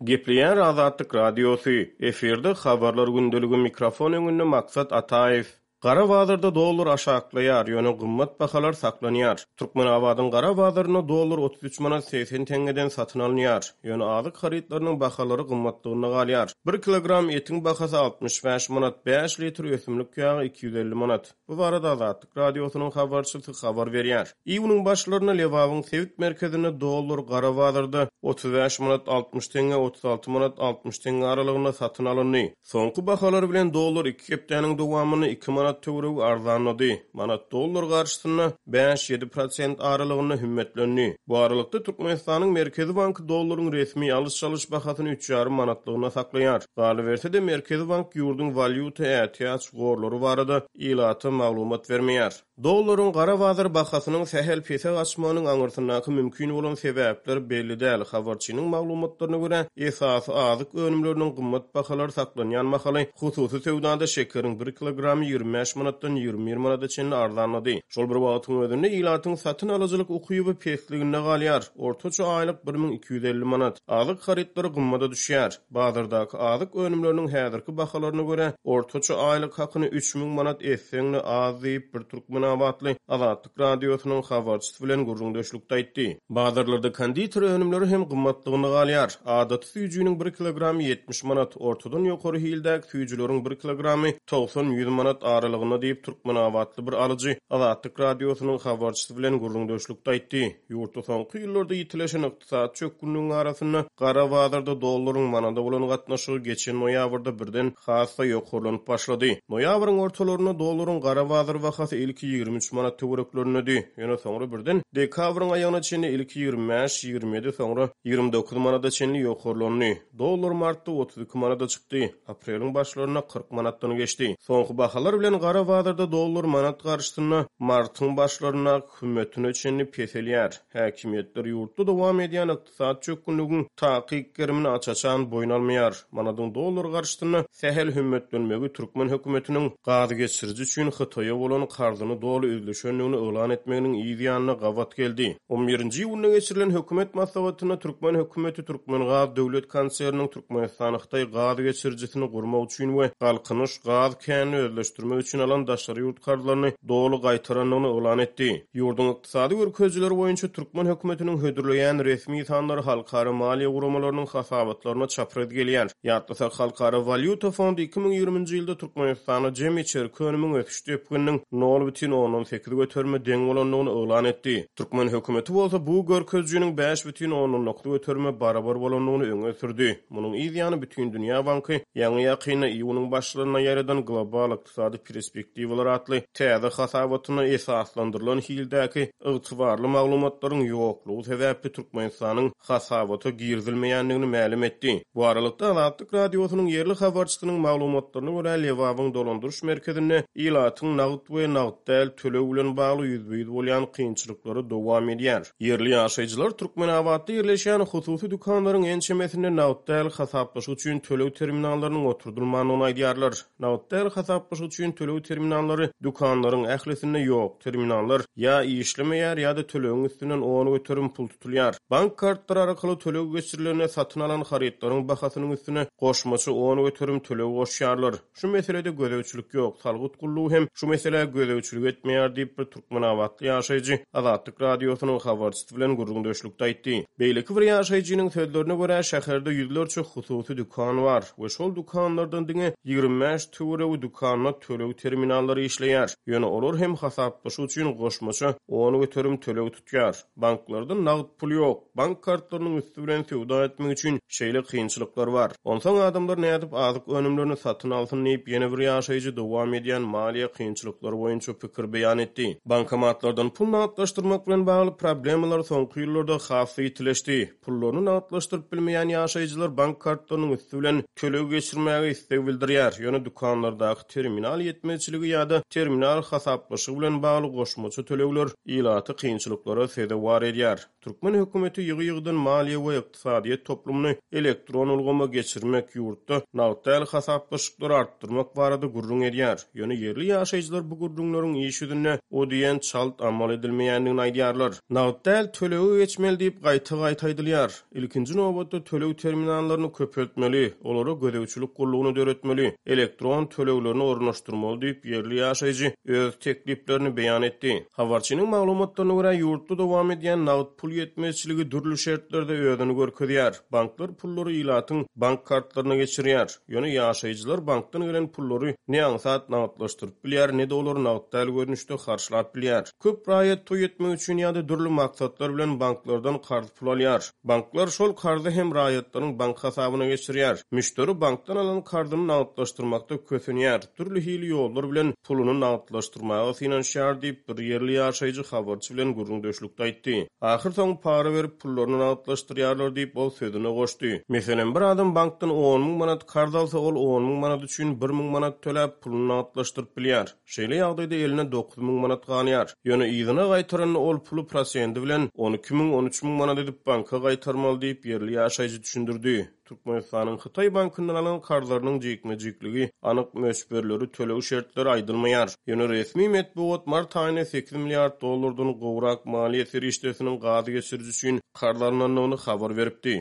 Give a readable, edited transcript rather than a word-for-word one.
Gepleýär Azatlyk Radiosy, efirde Habarlar gündeligi mikrofon öňünde Maksat Ataýew. Gara bazarda dollar aşaklaýar, ýöne gymmat bahalar saklanýar. Türkmenabadyň gara bazarynda dollar 33 manat 80 teňňeden satyn alynýar. Ýöne azyk harytlarynyň bahalary gymmatlygynda galýar. Bir kilogram etiň bahasy 65 manat, bäş litr ösümlik ýagy 250 manat. Bu barada Azatlyk Radiosynyň habarçysy habar berýär. Iýunyň başlarynda Lebabyň sebit merkezinde dollar gara bazarda 35 manat 60 teňňe, 36 manat 60 teňňe aralygynda satyn alyndy. Soňky bahalar bilen dollar iki hepdäniň dowamynda iki manat töweregi arzanlady. Manat dollar garşysynda bäş-ýedi prosent aralygynda hümmetlendi. Bu aralykda, Türkmenistanyň Merkezi banky dollaryň resmi alyş-çalyş bahasyny üç ýarym manatlygyna saklaýar. Galyberse-de, Merkezi bank ýurduň walýuta ätiýaç gorlary barada ilata maglumat bermeýär. Dollaryň gara bazar bahasynyň sähel pese gaçmagynyň aňyrsyndaky mümkin bolan sebäpler belli däl. Habarçynyň maglumatlaryna görä, esasy azyk önümleriniň gymmat bahalary saklanýan mahaly, hususy söwdada şekeriň bir kilogramy 25 manatdan 21 manada çenli arzanlady. Şol bir wagtyň özünde, ilatyň satyn alyjylyk ukyby pesliginde galýar, ortaça aýlyk 1250 manat. Azyk harytlary gymmada düşýär. Bazardaky azyk önümleriniň häzirki bahalaryna görä, ortaça aýlyk hakyny 3000 manat etseň-de az diýip, bir türkmenabatly Azatlyk Radiosynyň habarçysy bilen gürrüňdeşlikde aýtdy. Bazarlarda konditer önümleri hem gymmatlygyna galýar. Adaty süýjüniň bir kilogramy 70 manat, ortadan ýokary hildäki süýjüleriň bir kilogramy togsan-ýüz manat aralygynda diýip, türkmenabatly bir alyjy Azatlyk Radiosynyň habarçysy bilen gürrüňdeşlikde aýtdy. Ýurtda soňky ýyllarda ýitileşen Ykdysady çökgünligiň arasynda gara bazarda dollaryň manada bolan gatnaşygy geçen noýabrda birden has-da ýokarlanyp başlady. Noýabryň ortalarynda dollaryň gara bazar bahasy ilki 23 manat töwereklerindedi. Ýöne soňra birden dekabryň aýagyna çenli ilki 25, 27, soňra 29 manada çenli ýokarlandy. Dollar martda 32 manada çykdy, apreliň başlarynda 40 manatdan geçdi. Soňky bahalar bilen gara bazarda dollar manat garşysynda martyň başlaryndaky hümmetine çenli peselýär. Häkimiýetler ýurtda dowam edýän ykdysady çökgünligiň takyk gerimini aç-açan boýun almaýar. Manadyň dollar garşysynda sähel hümmetlenmegi türkmen hökümetiniň gaz geçiriji üçin Hytaýa bolan karzyny doly üzlüşendigini yglan etmeginiň yz ýanyna gabat geldi. On birinji iýunda geçirilen hökümet maslahatynda türkmen hökümeti Türkmengaz döwlet konserniniň Türkmenistan-Hytaý gaz geçirijisini gurmak üçin we Galkynyş gaz känini özleşdirmek üçin alan daşary ýurt karzlaryny doly gaýtarandygyny yglan etdi. Ýurduň ykdysady görkezijileri boýunça türkmen hökümetiniň hödürleýän resmi sanlary halkara maliýe guramalarynyň hasabatlaryna çapraz gelýär. Ýatlasak, Halkara walýuta fondy 2020-nji ýylda Türkmenistanda jemi içerki önümiň ösüş depgininiň nol bütin ondan sekiz göterime deň bolandygyny yglan etdi. Türkmen hökümeti bolsa bu görkezijiniň 5,9 göterime barabar bolandygyny öňe sürdi. Munuň yz ýany Bütindünýä banky ýaňy-ýakynda iýunyň başlarynda ýaýradan Global ykdysady perspektiwalar atly täze hasabatynda esaslandyrylan hildäki ygtybarly maglumatlaryň ýoklugy sebäpli Türkmenistanyň hasabata girizilmeýändigini mälim etdi. Bu aralykda, Azatlyk Radiosynyň ýerli habarçysynyň maglumatlaryna görä, Lebabyň dolandyryş merkezinde ilatyň nagt we nagt däl töleg bilen bagly ýüzbe-ýüz bolýan kynçylyklary dowam edýär. Ýerli ýaşaýjylar Türkmenabatda ýerleşýän hususy dükanlaryň ençemesinde nagt däl hasaplaşyk üçin töleg terminallarynyň oturdylmandygyny aýdýarlar. Nagt däl hasaplaşyk üçin töleg terminallary dükanlaryň ählisinde ýok. Terminallar ýa işlemeýär, ýa-da tölegiň üstünden 10% pul tutulýar. Bank kartlary arkaly töleg geçirilende satyn alan harytlaryň bahasynyň üstüne goşmaça 10% töleg goşýarlar. Şu meselede gözegçilik ýok, salgyt gullugy hem şu meselä gözegçilik etmeýär diýip, bir türkmenabatly ýaşaýjy Azatlyk Radiosynyň habarçysy bilen gürrüňdeşlikde aýtdy. Beýleki bir ýaşaýjynyň sözlerine görä, şäherde ýüzlerçe hususy dükan bar we şol dükanlardan diňe 25 töweregi dükanda töleg terminallary işleýär. Ýöne olar hem hasaplaşyk üçin goşmaça 10% töleg tutýar. Banklarda nagt pul ýok. Bank kartlarynyň üsti bilen söwda etmek üçin şeýle kynçylyklar bar. Onsoň adamlar nädip azyk önümlerini satyn alsyn diýip, ýene bir ýaşaýjy dowam edýän maliýe kynçylyklary boýunça pikir beýan etdi. Bankomatlardan pul nagtlaşdyrmak bilen bagly problemalar soňky ýyllarda has-da ýitileşdi. Pullaryny nagtlaşdyryp bilmeýän ýaşaýjylar bank kartlarynyň üsti bilen töleg geçirmäge isleg bildirýär, ýöne dükanlardaky terminal ýetmezçiligi ýa-da terminal hasaplaşygy bilen bagly goşmaça tölegler ilaty kynçylyklara sezewar edýär. Türkmen hökümeti ýygy-ýygydan maliýe we ykdysadyýet toplumyny elektron ulgama geçirmek, ýurtda nagt däl hasaplaşyklary artdyrmak barada gürrüň edýär. Ýöne ýerli ýaşaýjylar bu gürrüňleriň. iş ýüzünde o diýen çalt amal edilmeýändigini aýdýarlar. Nagt däl tölege geçmeli diýip gaýta-gaýta aýdylýar. Ilkinji nobatda töleg terminallaryny köpeltmeli, olara gözegçilik gullugyny döretmeli, elektron töleglerini ornaşdyrmaly diýip, ýerli ýaşaýjy öz tekliplerini beýan etdi. Habarçynyň maglumatlaryna görä, ýurtda dowam edýän nagt pul ýetmezçiligi dürli şertlerde özüni görkezýär. Banklar pullary ilatyň bank kartlaryna geçirýär. Ýöne ýaşaýjylar bankdan gelen pullary ne aňsat nagtlaşdyryp bilýär, ne-de olary nagt däl görnüşde harçlap bilýär. Köp raýat toý etmek üçin ýa-da dürli maksatlar bilen banklardan karz pul alýar. Banklar şol karzy hem raýatlaryň bank hasabyna geçirýär. Müşderi bankdan alan karzyny nagtlaşdyrmakda kösenýär, dürli hili ýollar bilen puluny nagtlaşdyrmaga synanyşýar diýip, bir ýerli ýaşaýjy habarçy bilen gürrüňdeşlikde aýtdy. Ahyrsoňy para berip pullaryny nagtlaşdyrýarlar diýip, ol sözüne goşdy. Meselem, bir adam bankdan 10 000 manat karz alsa, ol 10 000 manat üçin 1000 manat töläp, puluny nagtlaşdyryp bilýär. Şeýle ýagdaýda eline 9000 manat galýar. Ýöne yzyna gaýtaranda ol puly prosendi bilen 12 000, 13 000 manat edip banka gaýtarmaly diýip, ýerli ýaşaýjy düşündirdi. Türkmenistanyň Hytaý bankyndan alan karzlarynyň jikme-jikligi, anyk möçberleri, töleg şertleri aýdylmaýar. Ýöne resmi metbugat mart aýynda sekiz milliard dollardan gowrak maliýe serişdesiniň gaz geçiriji üçin karz alnandygyny habar beripdi.